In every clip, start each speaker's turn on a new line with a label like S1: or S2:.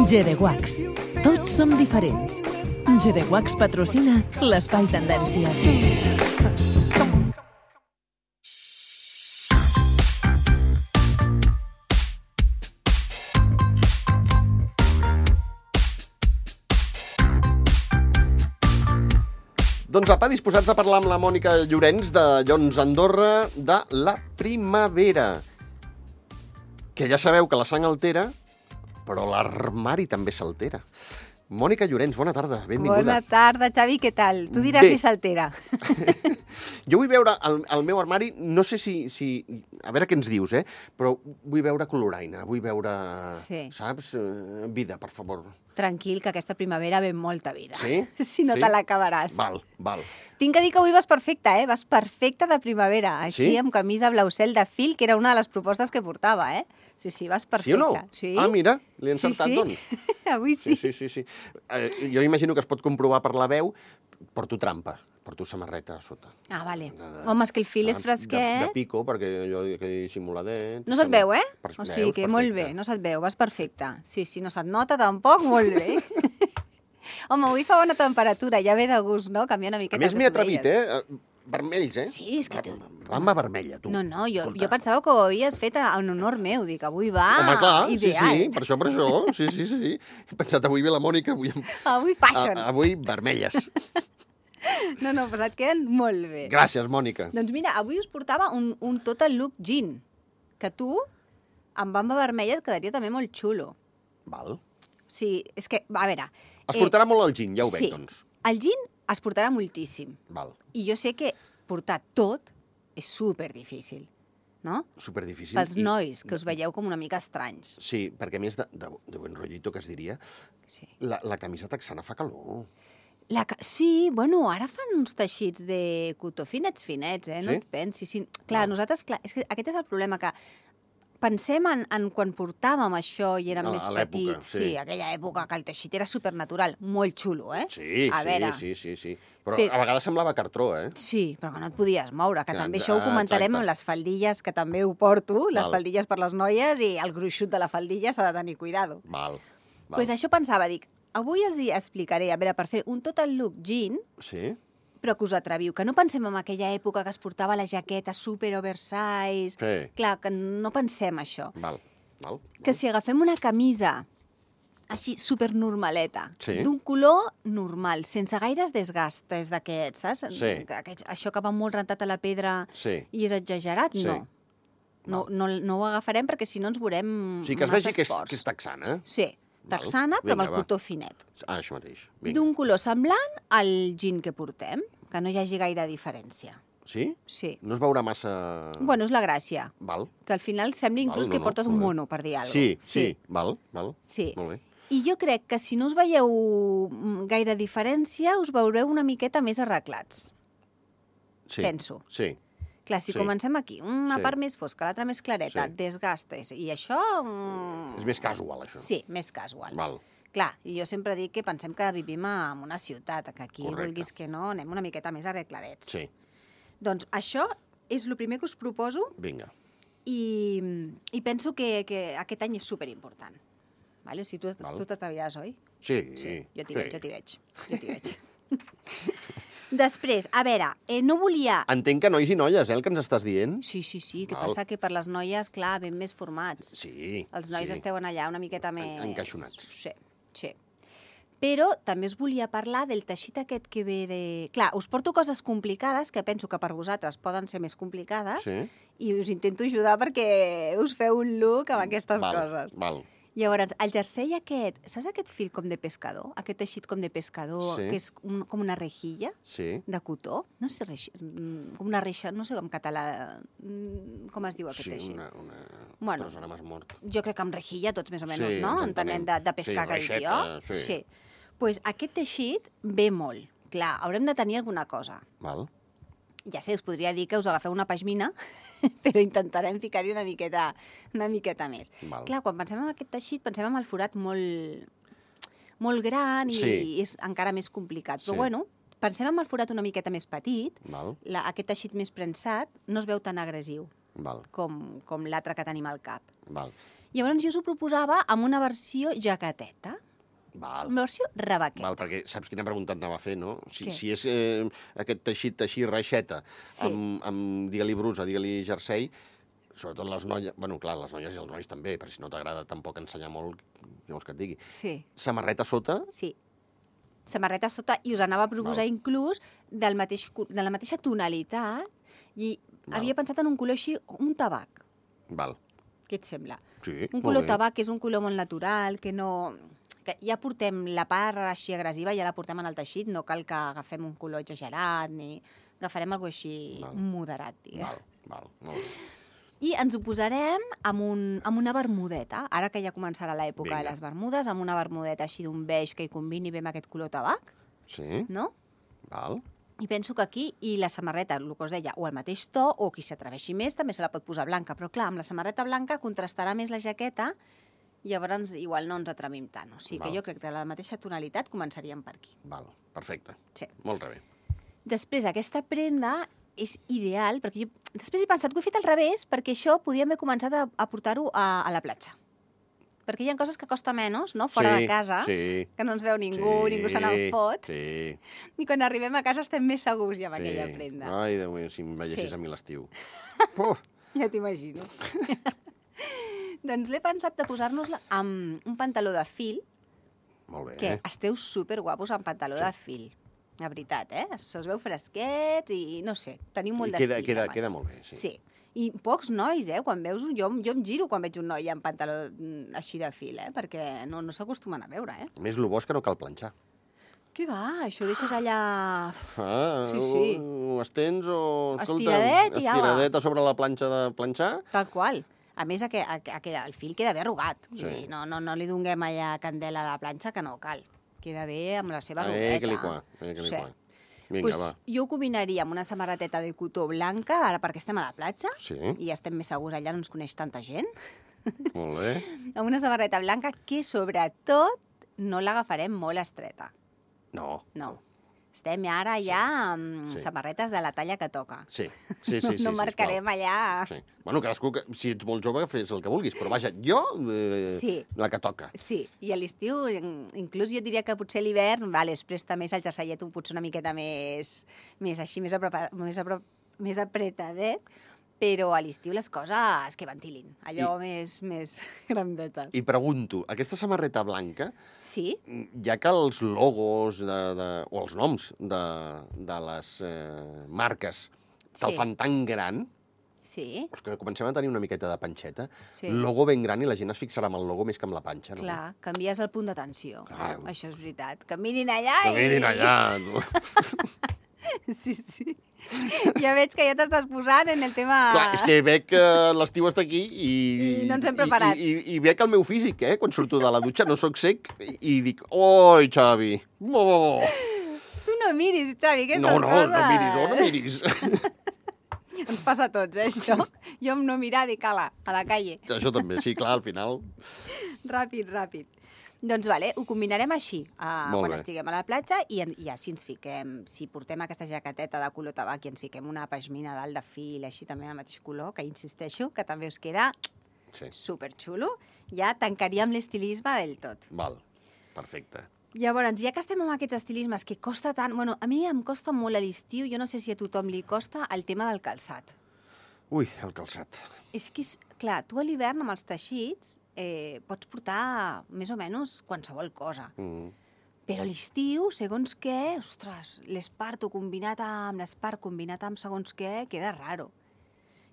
S1: GDWax. Tots som diferents. GDWax patrocina l'Espai Tendències.
S2: Doncs apa, disposats a parlar amb la Mònica Llorenç de Llons Andorra de la primavera. Que ja sabeu que la sang altera, però l'armari també s'altera. Mònica Llorenç, bona tarda, benvinguda.
S3: Bona tarda, Xavi, què tal? Tu diràs si s'altera.
S2: Jo vull veure el meu armari, no sé si... A veure què ens dius, però vull veure coloraina, vull veure...
S3: Sí.
S2: Saps? Vida, per favor.
S3: Tranquil, que aquesta primavera ve molta vida.
S2: Sí?
S3: Si no te l'acabaràs.
S2: Val.
S3: Tinc que dir que avui vas perfecta, Vas perfecta de primavera. Així, amb camisa blau cel de fil, que era una de les propostes que portava, Sí, vas perfecta.
S2: Sí o no?
S3: Sí.
S2: Ah, mira, l'he encertat, doncs.
S3: Avui sí.
S2: Sí. Jo imagino que es pot comprovar per la veu. Porto trampa, porto samarreta a sota.
S3: Ah, vale. Home, és que el fil és fresquet.
S2: De pico, perquè jo que dissimuladet.
S3: No se't veu, O sigui que molt bé, no se't veu, vas perfecta. Sí, no se't nota tampoc, molt bé. Home, avui fa bona temperatura, ja ve de gust, no? Canviar una miqueta.
S2: A més, m'he atrevit, vermells,
S3: Sí, és que tu...
S2: Bamba vermella, tu.
S3: No, jo pensava que ho havies fet en honor meu, dic, avui va
S2: Home, clar,
S3: ideal.
S2: sí, per això, sí. He pensat, avui ve la Mònica,
S3: Avui fashion.
S2: Avui vermelles.
S3: No, doncs et queden molt bé.
S2: Gràcies, Mònica.
S3: Doncs mira, avui us portava un total look jean, que tu, amb bamba vermella, et quedaria també molt xulo.
S2: Val.
S3: Sí, és que, a veure...
S2: Es portarà molt el jean, ja ho veig, doncs.
S3: El jean es portarà moltíssim.
S2: Val.
S3: I jo sé que portar tot és superdifícil, no?
S2: Superdifícil.
S3: Pels nois, que us veieu com una mica estranys.
S2: Sí, perquè a més de buen rollito, que es diria,
S3: Sí.
S2: la camisa texana fa calor.
S3: Sí, bueno, ara fan uns teixits de cotó finets, no et pensis. Sí. Clar, nosaltres, és que aquest és el problema, que pensem en quan portàvem això i érem més petits. Sí, aquella època que el teixit era supernatural, molt xulo,
S2: Sí. Però
S3: a
S2: vegades semblava cartró,
S3: Sí, però que no et podies moure, que també això ho comentarem
S2: exacte.
S3: amb les faldilles, que també ho porto, les
S2: Val.
S3: faldilles per les noies, i el gruixut de la faldilla s'ha de tenir cuidado.
S2: Val.
S3: Doncs això pensava, dic, avui els hi explicaré, a veure, per fer un total look jean,
S2: Sí?
S3: però que us atreviu, que no pensem en aquella època que es portava la jaqueta super oversize.
S2: Sí.
S3: Clar, que no pensem això.
S2: Val.
S3: Que si agafem una camisa així super normaleta,
S2: Sí.
S3: d'un color normal, sense gaires desgastes d'aquests, saps?
S2: Sí.
S3: Això que va molt rentat a la pedra
S2: Sí.
S3: i és exagerat,
S2: Sí.
S3: no. No ho agafarem perquè si no ens veurem
S2: Sí, que es
S3: massa
S2: vegi
S3: esports.
S2: que és texana.
S3: Sí,
S2: Val.
S3: texana, però amb el
S2: Vinga, va.
S3: cotó finet.
S2: Això mateix. Vinga.
S3: D'un color semblant al jean que portem, que no hi hagi gaire diferència.
S2: Sí?
S3: Sí.
S2: No es veurà massa...
S3: Bueno, és la gràcia,
S2: Val.
S3: que al final sembla inclús que portes un
S2: molt bé.
S3: mono, per dir alguna cosa.
S2: Sí. Val.
S3: Sí.
S2: Molt bé.
S3: I jo crec que si no us veieu gaire diferència, us veureu una miqueta més arreglats.
S2: Sí.
S3: Penso.
S2: Sí.
S3: Clar, si
S2: Sí.
S3: comencem aquí, una
S2: Sí.
S3: part més fosca, l'altra més clareta,
S2: Sí.
S3: desgastes, i això...
S2: És més casual, això.
S3: Sí, més casual.
S2: Val.
S3: Clar, i jo sempre dic que pensem que vivim en una ciutat, que aquí,
S2: Correcte.
S3: vulguis que no, anem una miqueta més arregladets.
S2: Sí.
S3: Doncs això és el primer que us proposo,
S2: Vinga.
S3: i penso que aquest any és superimportant. Vale? O sigui,
S2: Val.
S3: tu t'ataviràs, oi?
S2: Sí.
S3: Jo t'hi veig. Després, a veure, no volia...
S2: Entenc que nois i noies, el que ens estàs dient?
S3: Sí, que
S2: Val.
S3: passa que per les noies, clar, ben més formats.
S2: Sí.
S3: Els nois esteu allà una miqueta més...
S2: Encaixonats.
S3: Sí. Però també us volia parlar del teixit aquest que ve de... Clar, us porto coses complicades que penso que per vosaltres poden ser més complicades i us intento ajudar perquè us feu un look amb aquestes coses.
S2: Val.
S3: Llavors, el jersei aquest, saps aquest fil com de pescador? Aquest teixit com de pescador, que és com una rejilla de cotó? No sé, com una reixa, no sé en català com es diu aquest teixit.
S2: Bueno, ara m'has mort.
S3: Jo crec que amb rejilla tots més o menys, no? Entenem de pescar que dic jo. Sí. Doncs aquest teixit ve molt. Clar, haurem de tenir alguna cosa.
S2: Val.
S3: Ja sé, us podria dir que us agafeu una pashmina, però intentarem ficar-hi una miqueta més.
S2: Val.
S3: Clar, quan pensem en aquest teixit, pensem en el forat molt gran i és encara més complicat. Però bueno, pensem en el forat una miqueta més petit, aquest teixit més prensat no es veu tan agressiu com l'altre que tenim al cap.
S2: Val.
S3: Llavors jo us ho proposava amb una versió jaqueteta,
S2: Val.
S3: una versió rebequeta.
S2: Val, perquè saps quina pregunta et anava a fer, no?
S3: Què?
S2: Si és aquest teixit així reixeta,
S3: Sí.
S2: amb digue-li brusa, digue-li jersei, sobretot les noies, bueno, clar, les noies i els nois també, perquè si no t'agrada tampoc ensenyar molt, què vols que et digui.
S3: Sí,
S2: Samarreta sota,
S3: sí. Samarreta sota, i us anava a proposar inclús de la mateixa tonalitat, i havia pensat en un color així, un tabac.
S2: val.
S3: Què et sembla?
S2: Sí,
S3: Un color tabac que és un color molt natural, que no... Que ja portem la part així agressiva, ja la portem en el teixit, no cal que agafem un color exagerat, ni agafarem alguna cosa així
S2: Val.
S3: moderat, diguem.
S2: Val, molt bé.
S3: I ens ho posarem amb una bermudeta, ara que ja començarà l'època
S2: Vinga.
S3: de les bermudes, amb una bermudeta així d'un beix que hi combini bé amb aquest color tabac,
S2: Sí,
S3: no?
S2: val.
S3: I penso que aquí, i la samarreta, el que us deia, o el mateix to, o qui s'atreveixi més, també se la pot posar blanca. Però clar, amb la samarreta blanca contrastarà més la jaqueta, i llavors igual no ens atrevim tant. O sigui que
S2: Val.
S3: jo crec que de la mateixa tonalitat començaríem per aquí.
S2: Val, perfecte.
S3: Sí.
S2: Molt bé.
S3: Després, aquesta prenda és ideal, perquè jo després he pensat que ho he fet al revés, perquè això podíem haver començat a portar-ho a la platja. Perquè hi ha coses que costa menys, no?, fora de casa,
S2: Sí,
S3: que no ens veu ningú, ningú se n'en fot,
S2: Sí.
S3: i quan arribem a casa estem més segurs ja amb aquella prenda.
S2: Ai, Déu meu, si em veiessis
S3: Sí.
S2: a mi l'estiu. Puf,
S3: Ja t'imagino. Doncs l'he pensat de posar-nos-la amb un pantaló de fil,
S2: molt bé.
S3: que esteu superguapos amb pantaló de fil. La veritat, Se us veu fresquets i, no sé, teniu molt
S2: I
S3: d'estil.
S2: queda molt bé, sí.
S3: Sí. I pocs nois, quan veus jo em giro quan veig un noi amb pantaló així de fil, perquè no s'acostumen a veure,
S2: A més, el bo és que no cal planxar.
S3: Què va? Això ho deixes allà...
S2: Sí,
S3: Sí.
S2: Ho estens o...
S3: Estiradet i apa.
S2: Estiradet a sobre la planxa de planxar.
S3: Tal qual. A més, el fil queda bé arrugat. Vull
S2: Sí.
S3: dir, no li donem allà candela a la planxa, que no cal. Queda bé amb la seva arrugueta.
S2: Que li qua, que li
S3: Sí.
S2: qua. Vinga,
S3: Pues,
S2: va.
S3: jo ho combinaria amb una samarreteta de cotó blanca, ara perquè estem a la platja,
S2: Sí,
S3: i estem més segurs, allà no ens coneix tanta gent,
S2: molt bé.
S3: amb una samarreta blanca que, sobretot, no l'agafarem molt estreta.
S2: No.
S3: No. Estem ara ja amb
S2: Sí.
S3: samarretes de la talla que toca.
S2: Sí.
S3: No marcarem allà...
S2: Sí. Bueno, cadascú, si ets molt jove, fes el que vulguis, però vaja, jo,
S3: Sí.
S2: la que toca.
S3: Sí, i a l'estiu, inclús jo diria que potser a l'hivern, es presta més el jerseillet potser una miqueta més així, més apretadet, però a l'estiu les coses que ventilin, allò més grandetes.
S2: I pregunto, aquesta samarreta blanca,
S3: Sí?
S2: ja que els logos o els noms de les marques te'l
S3: Sí.
S2: fan tan gran,
S3: Sí,
S2: doncs que comencem a tenir una miqueta de panxeta,
S3: sí.
S2: logo ben gran i la gent es fixarà amb el logo més que amb la panxa, no?
S3: Clar, canvies el punt d'atenció.
S2: Clar.
S3: Això és veritat. Que mirin allà
S2: Que mirin allà. Tu.
S3: Sí. Ja veig que ja t'estàs posant en el tema...
S2: Clar, és que veig que l'estiu està aquí
S3: I no ens hem preparat.
S2: I veig el meu físic, quan surto de la dutxa, no sóc sec, i dic, oi, Xavi, oh.
S3: Tu no miris, Xavi, aquestes
S2: No
S3: coses...
S2: no miris.
S3: Ens passa a tots, això. Jo amb no mirar dic, ala, a la calle.
S2: Això també, sí, clar, al final.
S3: Ràpid. Doncs vale, ho combinarem així,
S2: Molt
S3: quan
S2: bé.
S3: estiguem a la platja, i així ens fiquem, si portem aquesta jaqueteta de color tabac i ens fiquem una pashmina dalt de fil, així també al mateix color, que insisteixo, que també us queda
S2: Sí,
S3: superxulo, ja tancaríem l'estilisme del tot.
S2: val, perfecte.
S3: Llavors, ja que estem amb aquests estilismes que costa tant... Bueno, a mi em costa molt a l'estiu, jo no sé si a tothom li costa el tema del calçat.
S2: Ui, el calçat.
S3: És que, clar, tu a l'hivern amb els teixits pots portar més o menys qualsevol cosa. Però a l'estiu, segons què, ostres, l'esparto combinat amb l'espart combinat amb segons què, queda raro.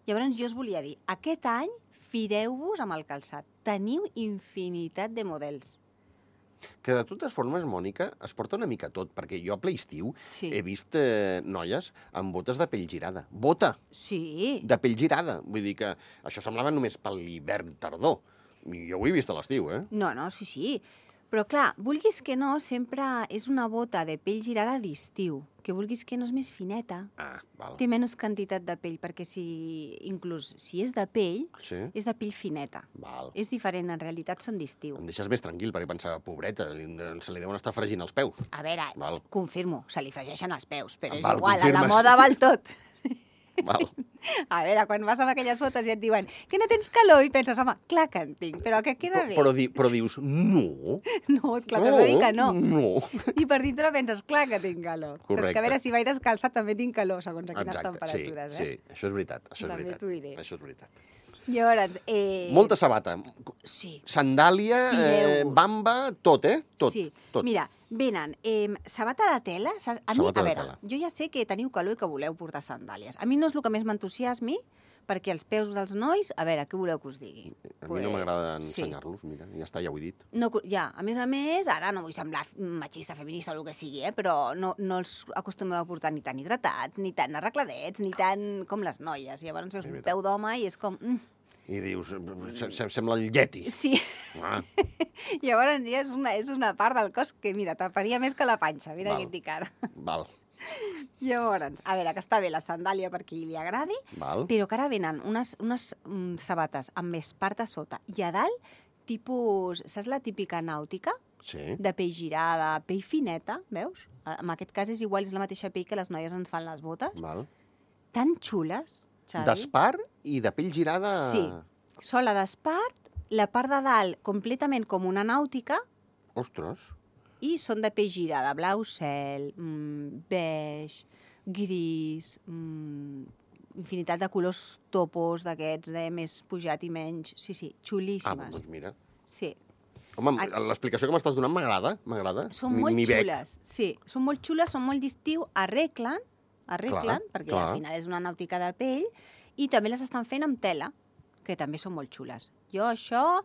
S3: Llavors jo us volia dir, aquest any fireu-vos amb el calçat. Teniu infinitat de models.
S2: Que de totes formes, Mònica, es porta una mica tot, perquè jo a ple estiu
S3: Sí.
S2: he vist noies amb botes de pell girada. Bota
S3: Sí.
S2: de pell girada. Vull dir que això semblava només per l'hivern tardor. I jo ho he vist a l'estiu,
S3: No, sí. Però clar, vulguis que no, sempre és una bota de pell girada d'estiu, que vulguis que no és més fineta.
S2: Ah, val.
S3: Té menys quantitat de pell, perquè inclús si és de pell,
S2: Sí?
S3: és de pell fineta.
S2: Val.
S3: És diferent, en realitat són d'estiu.
S2: Em deixes més tranquil, perquè pensava, pobreta, se li deuen estar fregint els peus.
S3: A veure,
S2: Val.
S3: confirmo, se li fregeixen els peus, però és
S2: Val,
S3: igual, a la
S2: confirmes.
S3: moda val tot.
S2: Val.
S3: A veure, quan vas amb aquelles fotos i et diuen que no tens calor i penses, home, clar que en tinc, però que queda bé.
S2: Però dius, no.
S3: No, clar, t'has de dir que no.
S2: No.
S3: I per dintre penses, clar que tinc calor. Però és
S2: Correcte.
S3: que a veure, si vaig descalçat també tinc calor, segons a quines temperatures,
S2: sí, això és veritat.
S3: També t'ho diré.
S2: Això és veritat.
S3: Llavors,
S2: Molta sabata.
S3: Sí.
S2: Sandàlia,
S3: Fideu-vos.
S2: bamba, tot, Tot.
S3: Sí,
S2: tot.
S3: mira, venen sabata de tela. A mi,
S2: Sabata
S3: a
S2: de
S3: veure,
S2: tela.
S3: jo ja sé que teniu calor i que voleu portar sandàlies. A mi no és el que més m'entusiasmi, perquè els peus dels nois, a veure, què voleu que us digui?
S2: A mi no m'agrada
S3: sí.
S2: ensenyar-los, mira, ja està, ja ho he dit.
S3: No, ja, a més, ara no vull semblar machista, feminista o el que sigui, però no els acostumeu a portar ni tan hidratats, ni tan arregladets, ni tan com les noies. Llavors veus un peu d'home i és com...
S2: I dius, sembla el Yeti.
S3: Sí.
S2: Ah.
S3: Llavors ja és una part del cos que, mira, taparia més que la panxa. Mira què et dic ara.
S2: Val.
S3: Llavors, a veure, que està bé la sandàlia per qui li agradi,
S2: Val.
S3: però que ara venen unes sabates amb més part a sota i a dalt, tipus, saps la típica nàutica?
S2: Sí.
S3: De pell girada, pell fineta, veus? En aquest cas és igual, és la mateixa pell que les noies ens fan les botes.
S2: Val.
S3: Tan xules, Xavi.
S2: D'espart i de pell girada...
S3: Sí. Sola d'espart, la part de dalt completament com una nàutica,
S2: Ostres.
S3: i són de pell girada, blau cel, beix, gris, infinitat de colors topos d'aquests, més pujat i menys. Sí, xulíssimes.
S2: Doncs mira.
S3: Sí.
S2: Home, l'explicació que m'estàs donant m'agrada.
S3: Són molt xules. Sí, són molt xules, són molt d'estiu, arreglen, perquè
S2: clar.
S3: al final és una nàutica de pell, i també les estan fent amb tela, que també són molt xules. Jo això...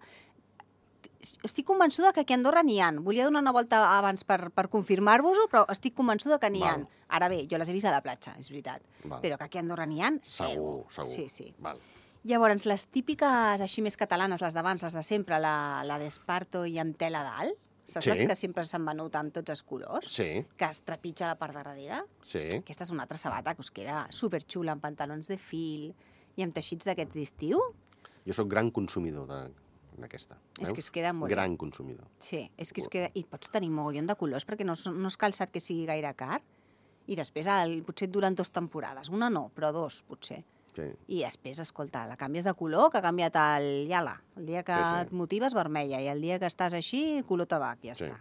S3: Estic convençuda que aquí a Andorra n'hi ha. Volia donar una volta abans per confirmar-vos-ho, però estic convençuda que n'hi ha. Ara bé, jo les he vist a la platja, és veritat. Però que aquí a Andorra n'hi ha, segur. Sí.
S2: Val.
S3: Llavors, les típiques així més catalanes, les d'abans, les de sempre, la d'esparto i amb tela dalt, saps les que sempre s'han venut amb tots els colors?
S2: Sí.
S3: Que es trepitja la part de darrere?
S2: Sí.
S3: Aquesta és una altra sabata que us queda superxula, amb pantalons de fil i amb teixits d'aquests d'estiu.
S2: Jo sóc gran consumidor d'aquesta.
S3: És que us queda molt
S2: gran consumidor.
S3: Sí, és que us queda... I pots tenir mogollon de colors perquè no és calçat que sigui gaire car. I després potser et duren 2 temporades. Una no, però 2 potser.
S2: Sí.
S3: I després, escolta, la canvies de color, que ha canviat el iala. El dia que et motives, vermella, i el dia que estàs així, color tabac, ja està.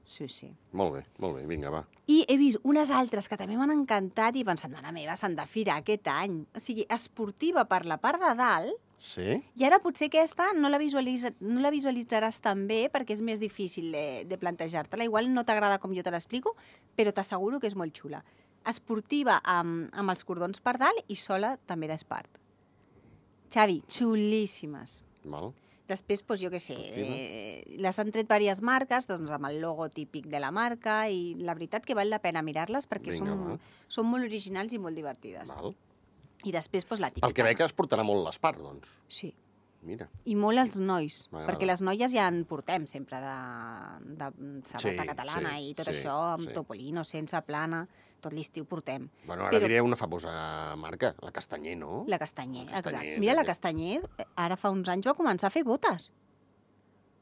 S3: Sí.
S2: Molt bé, vinga, va.
S3: I he vist unes altres que també m'han encantat i he pensat, mare meva, s'han de firar aquest any. O sigui, esportiva per la part de dalt.
S2: Sí?
S3: I ara potser aquesta no la visualitzaràs tan bé perquè és més difícil de plantejar-te-la. Igual no t'agrada com jo te l'explico, però t'asseguro que és molt xula. Esportiva amb els cordons per dalt i sola també d'espart. Xavi, xulíssimes.
S2: Val.
S3: Després, doncs, jo què sé, les han tret diverses marques, doncs, amb el logo típic de la marca, i la veritat que val la pena mirar-les perquè són molt originals i molt divertides.
S2: Val.
S3: I després, doncs, la típica.
S2: Pel que veig es portarà molt l'espart, doncs.
S3: Sí.
S2: Mira.
S3: I molt els nois, perquè les noies ja en portem sempre de sabata catalana i tot això, amb topolino, sense plana, tot l'estiu portem.
S2: Bueno, ara diré una famosa marca, la Castanyer, no?
S3: La Castanyer, exacte. Mira, la Castanyer ara fa uns anys va començar a fer botes.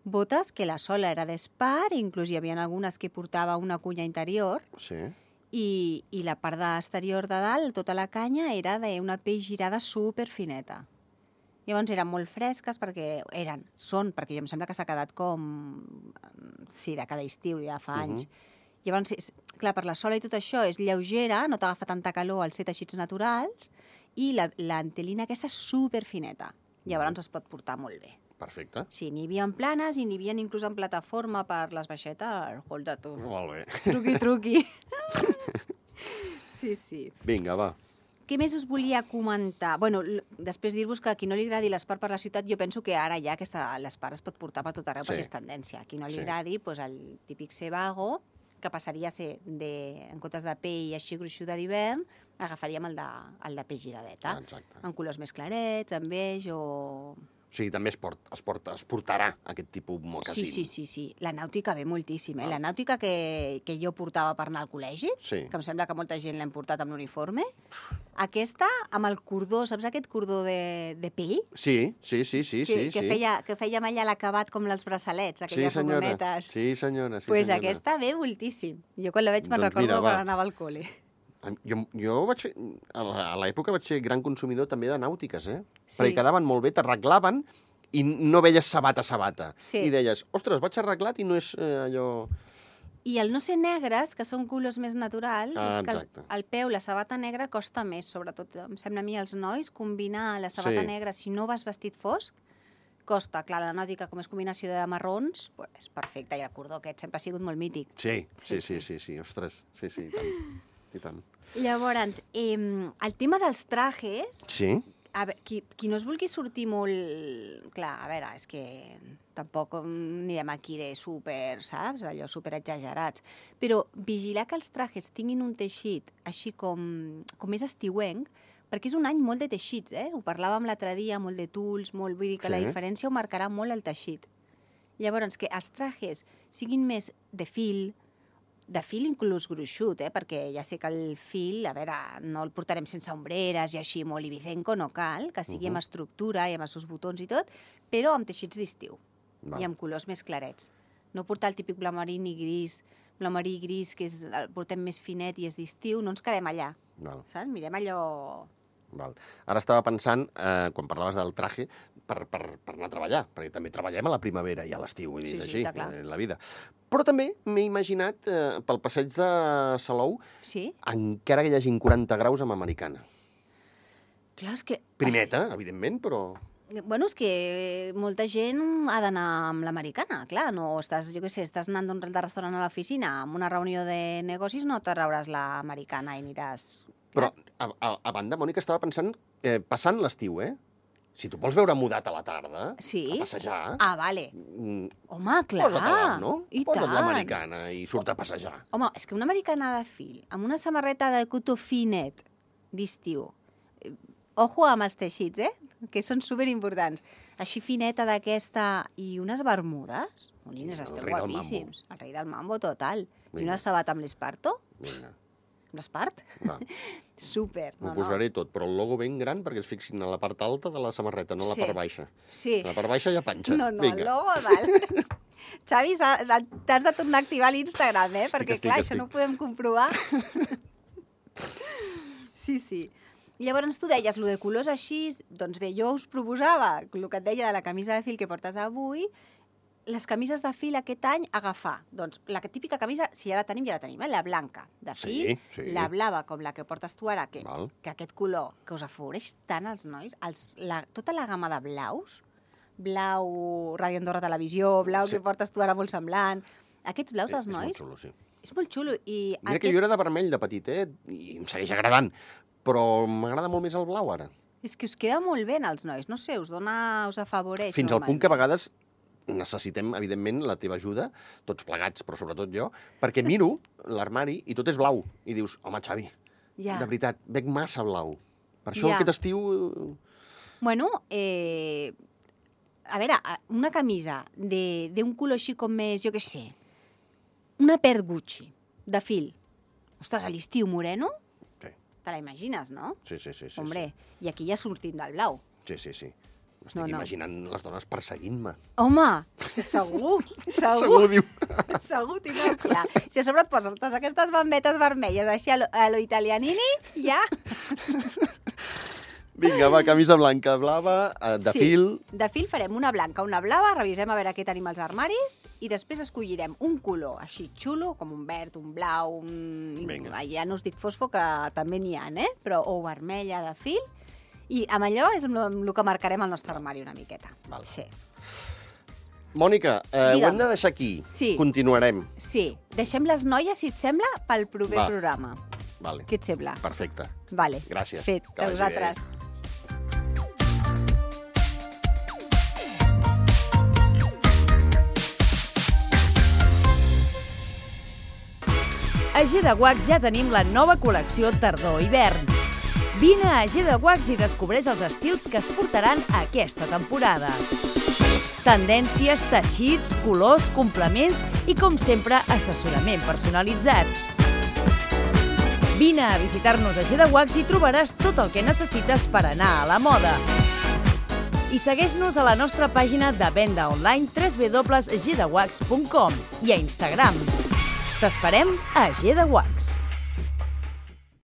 S3: Botes que la sola era d'espart, inclús hi havia algunes que portava una cunya interior, i la part exterior de dalt, tota la canya, era d'una pell girada superfineta. Llavors eren molt fresques perquè perquè jo em sembla que s'ha quedat com... Sí, de cada estiu, ja fa anys. Llavors, clar, per la sola i tot això és lleugera, no t'agafa tanta calor al ser teixits naturals, i l'antelina aquesta és superfineta. Llavors es pot portar molt bé.
S2: Perfecte.
S3: Sí, n'hi havia en planes i n'hi havia inclús en plataforma per les baixetes. Escolta, tu.
S2: Molt bé.
S3: Truqui. Sí.
S2: Vinga, va.
S3: Què més us volia comentar? Bueno, després dir-vos que a qui no li agradi l'espart per la ciutat, jo penso que ara ja l'espart es pot portar per tot arreu perquè és tendència. A qui no li agradi, doncs el típic Sebago, que passaria a ser, en comptes de pell així gruixuda d'hivern, agafaríem el de pell giradeta.
S2: Exacte.
S3: En colors més clarets, en beix o...
S2: O sigui, també es portarà aquest tipus mocasín.
S3: Sí. La nàutica ve moltíssim, La nàutica que jo portava per anar al col·legi, que em sembla que molta gent l'hem portat amb l'uniforme, aquesta, amb el cordó, saps aquest cordó de pell?
S2: Sí.
S3: Que feia allà l'acabat com els braçalets, aquelles rodonetes.
S2: Sí, senyora.
S3: Doncs aquesta ve moltíssim. Jo quan la veig me'n recordo quan anava al col·le.
S2: Jo vaig fer, a l'època vaig ser gran consumidor també de nàutiques,
S3: Sí.
S2: Perquè quedaven molt bé, t'arreglaven i no veies sabata.
S3: Sí.
S2: I deies, ostres, vaig arreglat i no és allò...
S3: I el no ser negres, que són colors més naturals, és que
S2: exacte.
S3: al peu la sabata negra costa més, sobretot, em sembla a mi, als nois, combinar la sabata
S2: Sí.
S3: negra, si no vas vestit fosc, costa. Clar, la nàutica, com és combinació de marrons, pues, perfecte, i el cordó aquest sempre ha sigut molt mític.
S2: Sí, ostres, sí, i tant.
S3: Llavors, el tema dels trajes,
S2: Sí?
S3: a veure, qui no es vulgui sortir molt... Clar, a veure, és que tampoc anirem aquí de super, saps? Allò super exagerats. Però vigilar que els trajes tinguin un teixit així com més estiuenc, perquè és un any molt de teixits, Ho parlàvem l'altre dia, molt de tulls, molt... Vull dir que la
S2: Sí.
S3: diferència ho marcarà molt el teixit. Llavors, que els trajes siguin més de fil inclús gruixut, perquè ja sé que el fil, a veure, no el portarem sense ombreres i així molt ibicenco, no cal, que sigui amb estructura i amb els seus botons i tot, però amb teixits d'estiu i amb colors més clarets. No portar el típic blau marí ni gris, blau marí i gris, que el portem més finet i és d'estiu, no ens quedem allà, saps? Mirem allò...
S2: Val. Ara estava pensant, quan parlaves del traje, per anar a treballar, perquè també treballem a la primavera i a l'estiu, vull dir, així, en la vida. Però també m'he imaginat, pel passeig de Salou, encara que hi hagin 40 graus amb americana.
S3: Clar, és que...
S2: Primeta, evidentment, però...
S3: Bueno, és que molta gent ha d'anar amb l'americana, clar, no estàs, jo què sé, estàs anant d'un restaurant a l'oficina, amb una reunió de negocis no t'arrauràs l'americana i aniràs...
S2: Però, a banda, Mònica, estava pensant, passant l'estiu, Si tu vols veure mudat a la tarda, a passejar...
S3: Ah, vale. Home, clar.
S2: Posa't-la, no?
S3: I
S2: Posa't
S3: tant.
S2: l'americana i surt a passejar.
S3: Home, és que una americana de fil, amb una samarreta de cotó finet d'estiu, ojo amb els teixits, que són superimportants. Així fineta d'aquesta i unes bermudes, molines, esteu guapíssims. El rei del mambo total. I una sabata amb l'esparto.
S2: Vinga.
S3: L'espart? Super.
S2: M'ho posaré tot, però el logo ben gran perquè es fixin a la part alta de la samarreta, no a la part baixa.
S3: Sí.
S2: A la part baixa hi ha panxa.
S3: No, el logo dalt. Xavi, t'has de tornar a activar l'Instagram, perquè clar, això no ho podem comprovar. Sí. Llavors tu deies, lo de colors així, doncs bé, jo us proposava, el que et deia de la camisa de fil que portes avui, les camises de fil aquest any agafar. Doncs la típica camisa, si ja la tenim, la blanca de fil, la blava com la que portes tu ara, que aquest color que us afavoreix tant als nois, tota la gamma de blaus, blau Ràdio Andorra Televisió, blau que portes tu ara molt semblant, aquests blaus als nois...
S2: És molt xulo, sí.
S3: És molt xulo.
S2: Mira que jo era de vermell de petit, i em segueix agradant, però m'agrada molt més el blau ara.
S3: És que us queda molt bé als nois, no sé, us afavoreix.
S2: Fins al punt que a vegades necessitem, evidentment, la teva ajuda, tots plegats, però sobretot jo, perquè miro l'armari i tot és blau. I dius, home, Xavi, de veritat, veig massa blau. Per això aquest estiu...
S3: Bueno, a veure, una camisa d'un color així com més, jo què sé, una pert Gucci, de fil. Ostres, a l'estiu moreno?
S2: Sí.
S3: Te la imagines, no?
S2: Sí.
S3: Hombre, i aquí ja sortim del blau.
S2: Sí. M'estic imaginant les dones perseguint-me.
S3: Home, segur.
S2: Segur, diu.
S3: Segur, tinc clar. Si a sobre et poses aquestes bambetes vermelles així a lo italianini, ja...
S2: Vinga, va, camisa blanca, blava, de fil...
S3: De fil farem una blanca, una blava, revisem a veure què tenim als armaris i després escollirem un color així xulo, com un verd, un blau, ja no us dic fosfo, que també n'hi ha, però o vermella de fil. I amb allò és el que marcarem el nostre armari una miqueta.
S2: Val.
S3: Sí.
S2: Mònica, ho hem de deixar aquí.
S3: Sí.
S2: Continuarem.
S3: Sí. Deixem les noies, si et sembla, pel proper programa.
S2: Vale.
S3: Què et sembla?
S2: Perfecte.
S3: Vale.
S2: Gràcies.
S3: Fet. A vosaltres.
S4: A G de Wax ja tenim la nova col·lecció tardor-hivern. Vine a G de Wax i descobreix els estils que es portaran aquesta temporada. Tendències, teixits, colors, complements i, com sempre, assessorament personalitzat. Vine a visitar-nos a G de Wax i trobaràs tot el que necessites per anar a la moda. I segueix-nos a la nostra pàgina de venda online www.gdewax.com i a Instagram. T'esperem a G de Wax.